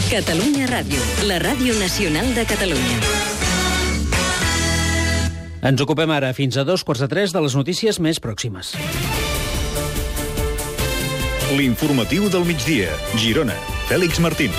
Catalunya Ràdio, la ràdio nacional de Catalunya. Ens ocupem ara fins a 2:45 de les notícies més pròximes. L'informatiu del migdia. Girona. Fèlix Martín.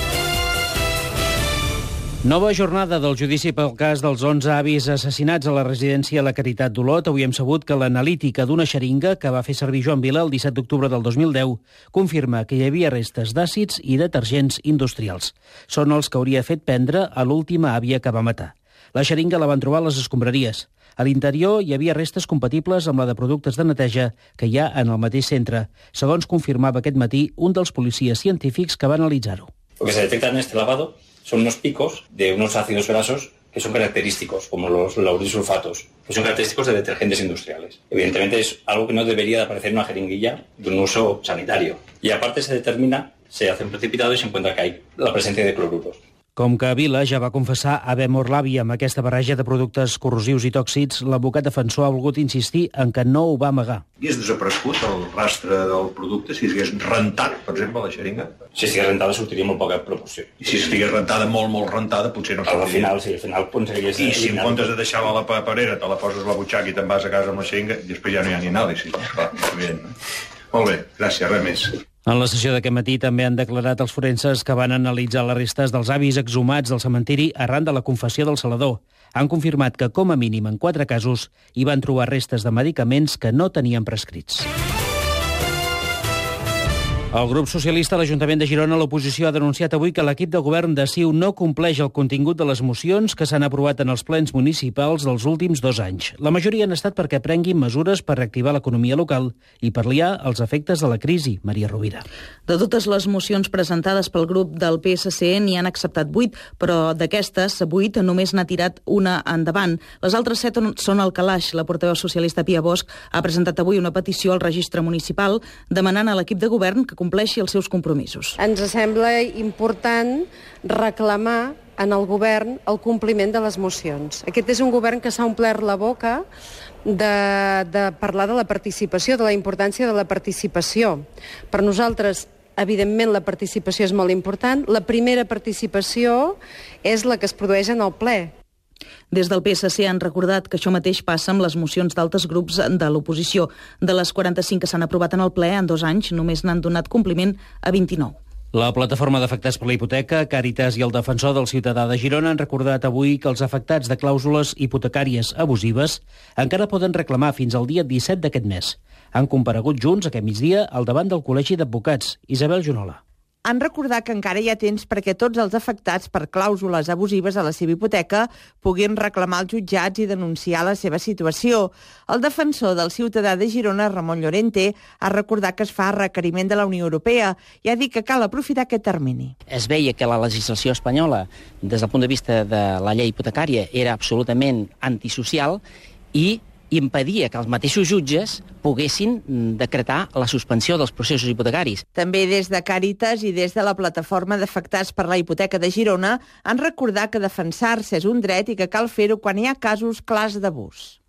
Nova jornada del judici pel cas dels 11 avis assassinats a la residència La Caritat d'Olot. Avui hem sabut que l'analítica d'una xeringa que va fer servir Joan Vila el 17 d'octubre del 2010 confirma que hi havia restes d'àcids i detergents industrials. Són els que hauria fet prendre a l'última àvia que va matar. La xeringa la van trobar a les escombraries. A l'interior hi havia restes compatibles amb la de productes de neteja que hi ha en el mateix centre, segons confirmaba aquest matí un dels policies científics que va analitzar-ho. Lo que se detecta en este lavado son unos picos de unos ácidos grasos que son característicos, como los laurisulfatos, que son característicos de detergentes industriales. Evidentemente es algo que no debería de aparecer en una jeringuilla de un uso sanitario. Y aparte se determina, se hace un precipitado y se encuentra que hay la presencia de cloruros. Com que Vila ja va confessar haver mort l'àvia amb aquesta barreja de productes corrosius i tòxics, l'advocat defensor ha volgut insistir en que no ho va amagar. Hagués desaparegut el rastre del producte si hagués rentat, per exemple, la xeringa? Si estigués rentada sortiria molt poca proporció. I si estigués rentada, molt rentada, potser no sortiria. Al final aconseguiries... I si en comptes de deixar-la a la paperera te la poses a la butxaca i te'n vas a casa amb la xeringa, després ja no hi ha ni anàlisi. Clar, evident, no? Molt bé, gràcies, res més. En la sessió d'aquest matí també han declarat els forenses que van analitzar les restes dels avis exhumats del cementiri arran de la confessió del salador. Han confirmat que, com a mínim en 4 casos, hi van trobar restes de medicaments que no tenien prescrits. El grup socialista a l'Ajuntament de Girona, l'oposició, ha denunciat avui que l'equip de govern de CiU no compleix el contingut de les mocions que s'han aprovat en els plens municipals dels últims 2 anys. La majoria han estat perquè prenguin mesures per reactivar l'economia local i pal·liar els efectes de la crisi. Maria Rovira. De totes les mocions presentades pel grup del PSC n'hi han acceptat 8, però d'aquestes 8 només n'ha tirat una endavant. Les altres 7 són al calaix. La portaveu socialista Pia Bosch ha presentat avui una petició al registre municipal demanant a l'equip de govern que compleixi els seus compromisos. Ens sembla important reclamar en el govern el compliment de les mocions. Aquest és un govern que s'ha omplert la boca de parlar de la participació, de la importància de la participació. Per nosaltres, evidentment, la participació és molt important. La primera participació és la que es produeix en el ple. Des del PSC han recordat que això mateix passa amb les mocions d'altres grups de l'oposició. De les 45 que s'han aprovat en el ple en 2 anys, només n'han donat compliment a 29. La plataforma d'afectats per la hipoteca, Càritas i el defensor del ciutadà de Girona han recordat avui que els afectats de clàusules hipotecàries abusives encara poden reclamar fins al dia 17 d'aquest mes. Han comparegut junts aquest migdia al davant del Col·legi d'Advocats. Isabel Junola. Han recordat que encara hi ha temps perquè tots els afectats per clàusules abusives a la seva hipoteca puguin reclamar als jutjats i denunciar la seva situació. El defensor del ciutadà de Girona, Ramon Llorente, ha recordat que es fa requeriment de la Unió Europea i ha dit que cal aprofitar aquest termini. Es veia que la legislació espanyola, des del punt de vista de la llei hipotecària, era absolutament antisocial i impedia que els mateixos jutges poguessin decretar la suspensió dels processos hipotecaris. També des de Càritas i des de la plataforma d'afectats per la hipoteca de Girona han recordat que defensar-se és un dret i que cal fer-ho quan hi ha casos clars d'abús.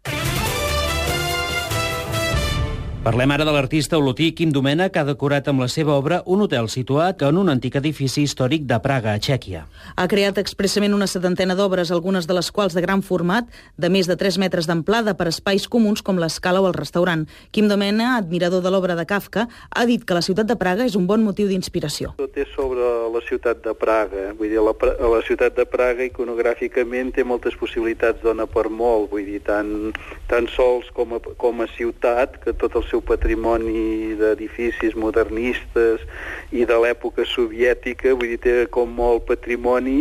Parlem ara de l'artista olotí Quim Domènech, que ha decorat amb la seva obra un hotel situat en un antic edifici històric de Praga, a Txèquia. Ha creat expressament una 70ena d'obres, algunes de les quals de gran format, de més de 3 metres d'amplada per espais comuns com l'escala o el restaurant. Quim Domènech, admirador de l'obra de Kafka, ha dit que la ciutat de Praga és un bon motiu d'inspiració. Tot és sobre la ciutat de Praga. Vull dir, la ciutat de Praga iconogràficament té moltes possibilitats, dona per molt. Vull dir, tant sols com a ciutat, que tot el seu patrimoni d'edificis modernistes i de l'època soviètica, vull dir, té com molt patrimoni.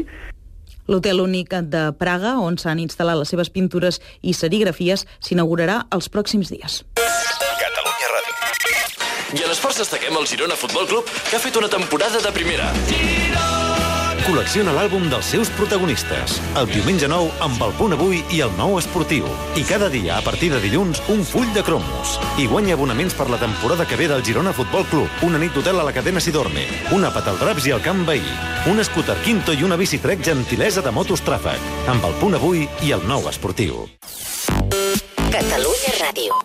L'Hotel Únic de Praga, on s'han instal·lat les seves pintures i serigrafies, s'inaugurarà els pròxims dies. Catalunya Ràdio. I en esports destaquem el Girona Futbol Club, que ha fet una temporada de primera. Col·lecciona l'àlbum dels seus protagonistes. El diumenge 9 amb el Punt Avui i el Nou Esportiu. I cada dia, a partir de dilluns, un full de cromos. I guanya abonaments per la temporada que ve del Girona Futbol Club. Una nit d'hotel a la cadena Sidorme. Un àpat al Draps i al Camp Veí. Un scooter Quinto i una bicitrec gentilesa de Motos Tràfec. Amb el Punt Avui i el Nou Esportiu. Catalunya Ràdio.